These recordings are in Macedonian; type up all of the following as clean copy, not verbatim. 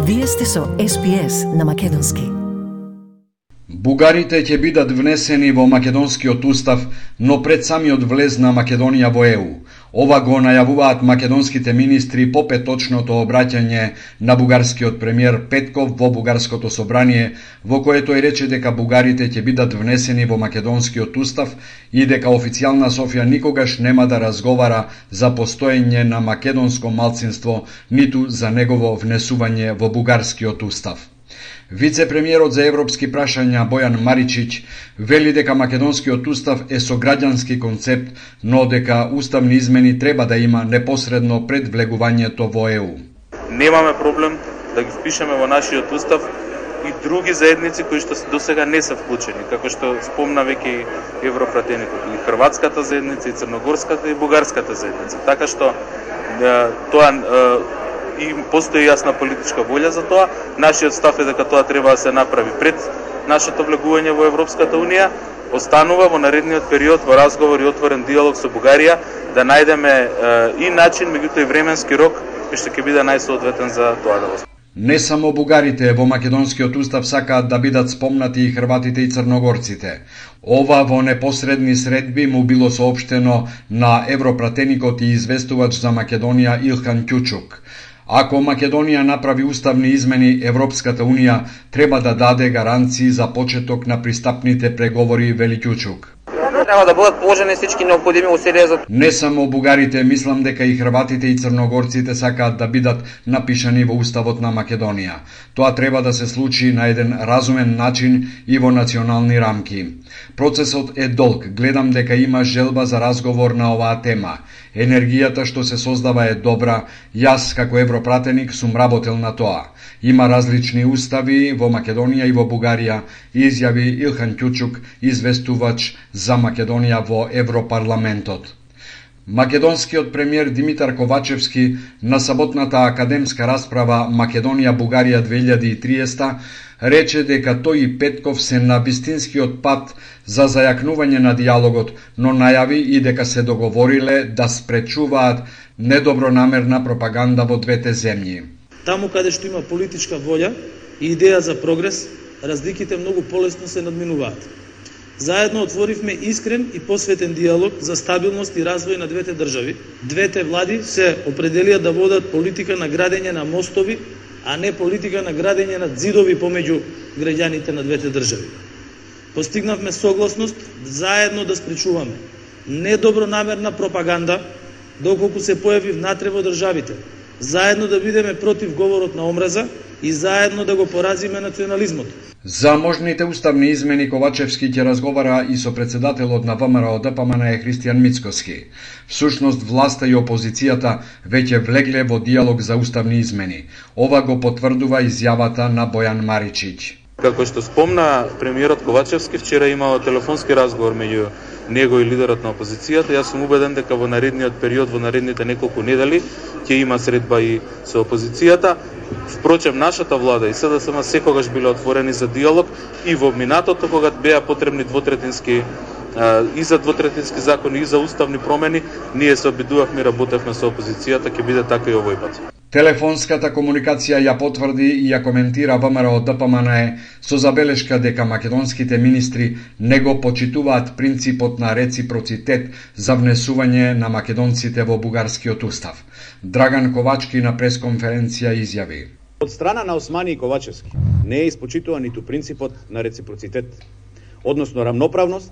Вие сте со SPS на македонски. Бугарите ќе бидат внесени во македонскиот устав, но пред самиот влез на Македонија во ЕУ. Ова го најавуваат македонските министри по петочното обраќање на бугарскиот премиер Петков во бугарското собрание, во кое тој рече дека бугарите ќе бидат внесени во македонскиот устав и дека официјална Софија никогаш нема да разговара за постоење на македонско малцинство, ниту за негово внесување во бугарскиот устав. Вице-премиерот за европски прашања Бојан Маричич вели дека македонскиот устав е со граѓански концепт, но дека уставни измени треба да има непосредно пред влегувањето во ЕУ. Немаме проблем да ги впишеме во нашиот устав и други заедници кои што досега не се вклучени, како што спомна веќе европратеникот, и хрватската заедница, и црногорската, и бугарската заедница. Така што тоа и постои јасна политичка волја за тоа. Нашиот став е дека тоа треба да се направи пред нашето влегување во Европската Унија. Останува во наредниот период во разговор и отворен диалог со Бугарија да најдеме и начин, меѓутоа и временски рок кој што ќе биде најсоодветен за тоа да го. Не само бугарите во македонскиот устав сакаат да бидат спомнати и хрватите и црногорците. Ова во непосредни средби му било соопштено на европратеникот и известувач за Македонија Илхан Кјучук. Ако Македонија направи уставни измени, Европската Унија треба да даде гаранции за почеток на пристапните преговори, вели Кјучук. Треба да бидат положени всички необходими усилија за. Не само бугарите, мислам дека и хрватите и црногорците сакаат да бидат напишани во уставот на Македонија. Тоа треба да се случи на еден разумен начин и во национални рамки. Процесот е долг, гледам дека има желба за разговор на оваа тема. Енергијата што се создава е добра, јас како европратеник сум работел на тоа. Има различни устави во Македонија и во Бугарија, изјави Илхан Кјучук, известувач за Македонија во Европарламентот. Македонскиот премиер Димитар Ковачевски на саботната академска расправа Македонија-Бугарија 2030 рече дека тој и Петков се на вистинскиот пат за зајакнување на диалогот, но најави и дека се договориле да спречуваат недобронамерна пропаганда во двете земји. Таму каде што има политичка волја и идеја за прогрес, разликите многу полесно се надминуваат. Заедно отворивме искрен и посветен диалог за стабилност и развој на двете држави. Двете влади се определија да водат политика на градење на мостови, а не политика на градење на ѕидови помеѓу граѓаните на двете држави. Постигнавме согласност заедно да спречуваме недобронамерна пропаганда доколку се појави внатре во државите, заедно да бидеме против говорот на омраза и заедно да го поразиме национализмот. За можните уставни измени Ковачевски ќе разговара и со председателот на ВМРО ДПМН Христијан Мицкоски. Всушност власта и опозицијата веќе влегле во диалог за уставни измени. Ова го потврдува изјавата на Бојан Маричич. Како што спомна премиерот Ковачевски, вчера имало телефонски разговор меѓу него и лидерот на опозицијата. Јас сум убеден дека во наредниот период, во наредните неколку недели, ќе има средба и со опозицијата. Впрочем, нашата влада и СДСМ секогаш биле отворени за диалог и во минатото, кога беа потребни двотретински и за двотретински закони и за уставни промени, ние се обидувавме и работевме со опозицијата, ќе биде така и овој пат. Телефонската комуникација ја потврди и ја коментира ВМРО ДПМН со забелешка дека македонските министри не го почитуваат принципот на реципроцитет за внесување на македонците во бугарскиот устав. Драган Ковачки на пресконференција изјави: Од страна на Османи и Ковачевски не е испочитуван ниту принципот на реципроцитет, односно рамноправност,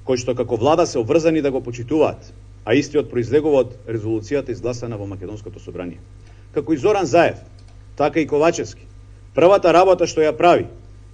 кој што како влада се обврзани да го почитуваат, а истиот произлегува од резолуцијата изгласана во Македонското собрание. Како и Зоран Заев, така и Ковачевски, првата работа што ја прави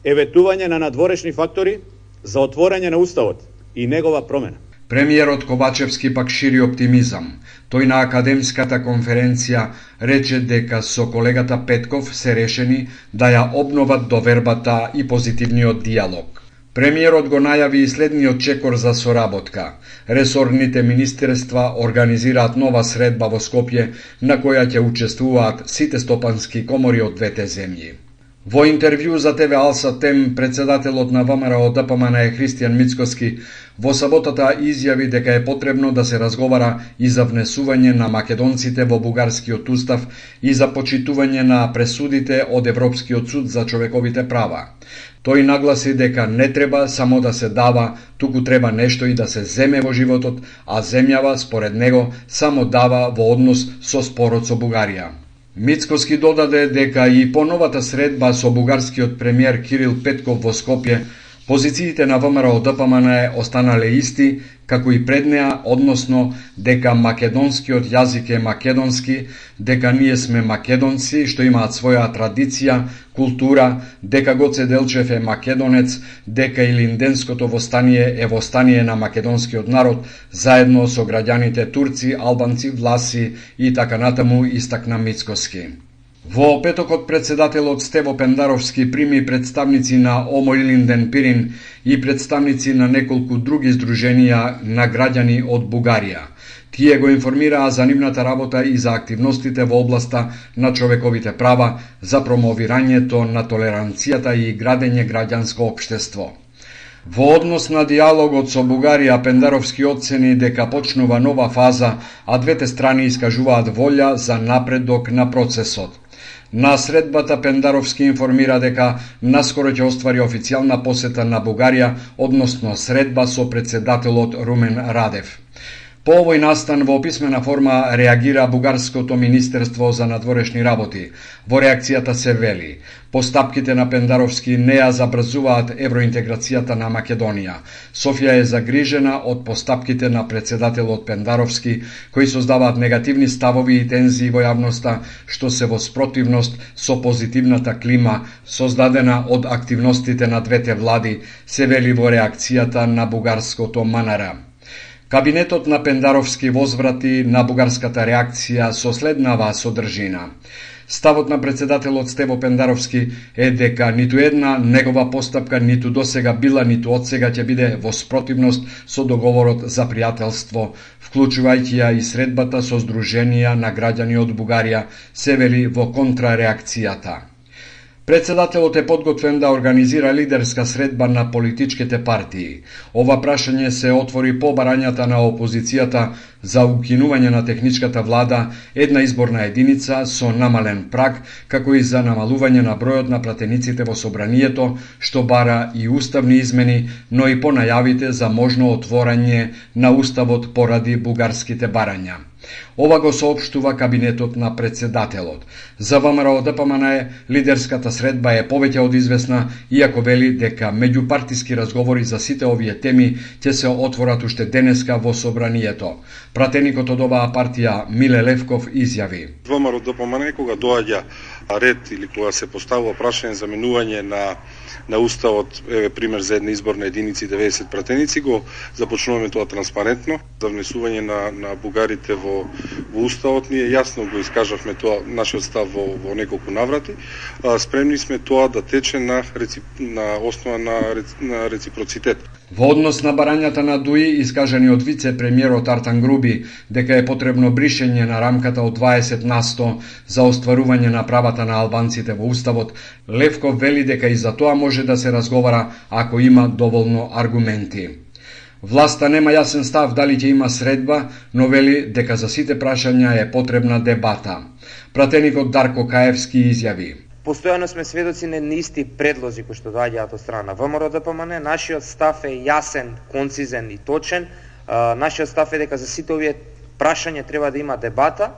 е ветување на надворешни фактори за отворање на уставот и негова промена. Премиерот Ковачевски пак шири оптимизам. Тој на академската конференција рече дека со колегата Петков се решени да ја обноват довербата и позитивниот диалог. Премиерот го најави и следниот чекор за соработка. Ресорните министерства организираат нова средба во Скопје на која ќе учествуваат сите стопански комори од двете земји. Во интервју за ТВ Алса Тем, председателот на ВМРО ДПМН Христијан Мицкоски во саботата изјави дека е потребно да се разговара и за внесување на македонците во бугарскиот устав и за почитување на пресудите од Европскиот суд за човековите права. Тој нагласи дека не треба само да се дава, туку треба нешто и да се земе во животот, а земјава, според него, само дава во однос со спорот со Бугарија. Мицкоски додаде дека и по новата средба со бугарскиот премиер Кирил Петков во Скопје, позициите на ВМРО ДПМН останале исти, како и пред неа, односно дека македонскиот јазик е македонски, дека ние сме македонци, што имаат своја традиција, култура, дека Гоце Делчев е македонец, дека Илинденското востание е востание на македонскиот народ, заедно со граѓаните турци, албанци, власи и така натаму, истакна Мицкоски. Во петокот председателот Стево Пендаровски прими представници на Омо Илинден Пирин и представници на неколку други здруженија на граѓани од Бугарија. Тие го информираа за нивната работа и за активностите во областа на човековите права, за промовирањето на толеранцијата и градење граѓанско општество. Во однос на диалогот со Бугарија, Пендаровски оцени дека почнува нова фаза, а двете страни искажуваат волја за напредок на процесот. На средбата Пендаровски информира дека наскоро ќе оствари официјална посета на Бугарија, односно средба со председателот Румен Радев. По овој настан во писмена форма реагира Бугарското Министерство за надворешни работи. Во реакцијата се вели: постапките на Пендаровски не ја забрзуваат евроинтеграцијата на Македонија. Софија е загрижена од постапките на председателот Пендаровски, кои создаваат негативни ставови и тензии во јавноста, што се во спротивност со позитивната клима создадена од активностите на двете влади, се вели во реакцијата на бугарското МНР. Кабинетот на Пендаровски возврати на бугарската реакција со следнава содржина. Ставот на председателот Стево Пендаровски е дека ниту една негова постапка ниту досега била, ниту одсега ќе биде во спротивност со договорот за пријателство, вклучувајќи ја и средбата со здруженија на граѓани од Бугарија, се вели во контрареакцијата. Председателот е подготвен да организира лидерска средба на политичките партии. Ова прашање се отвори по барањата на опозицијата за укинување на техничката влада, една изборна единица со намален праг, како и за намалување на бројот на пратениците во собранието, што бара и уставни измени, но и по најавите за можно отворање на уставот поради бугарските барања. Ова го соопштува кабинетот на председателот. За ВМРО ДПМН лидерската средба е повеќе од известна, иако вели дека меѓупартиски разговори за сите овие теми ќе се отворат уште денеска во собранието. Пратеникот од оваа партија Миле Левков изјави: ВМРО ДПМН кога доаѓа ред или кога се поставува прашање за менување на уставот, пример за една изборна единица и 90 пратеници, го започнуваме тоа транспарентно. За внесување на бугарите во уставот ние јасно го искажавме тоа нашиот став во неколку наврати. Спремни сме тоа да тече на основа на реципроцитет. Во однос на барањата на ДУИ, искажани од вице-премиерот Артан Груби, дека е потребно бришење на рамката од 20% за остварување на правата на албанците во уставот, Левков вели дека и за тоа може да се разговара ако има доволно аргументи. Власта нема јасен став дали ќе има средба, но вели дека за сите прашања е потребна дебата. Пратеникот Дарко Каевски изјави: Постојано сме сведоци на исти предлози кои што доаѓаат од страна на ВМРО ДПМН. Нашиот став е јасен, концизен и точен. Нашиот став е дека за сите овие прашања треба да има дебата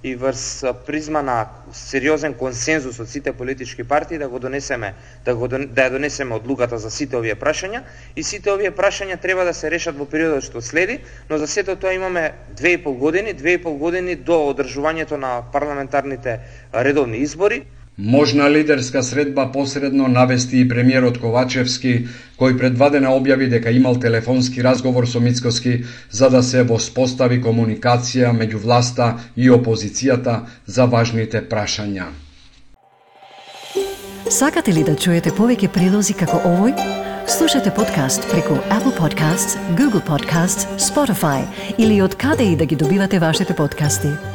и врз призма на сериозен консензус од сите политички партии да ја донесеме одлуката за сите овие прашања, и сите овие прашања треба да се решат во периодот што следи, но за сето тоа имаме 2,5 години до одржувањето на парламентарните редовни избори. Можна лидерска средба посредно навести и премиерот Ковачевски, кој предвадена објави дека имал телефонски разговор со Мицкоски за да се воспостави комуникација меѓу власта и опозицијата за важните прашања. Сакате ли да чуете повеќе прилози како овој? Слушате подкаст преку Apple Podcasts, Google Podcasts, Spotify или од каде и да ги добивате вашите подкасти.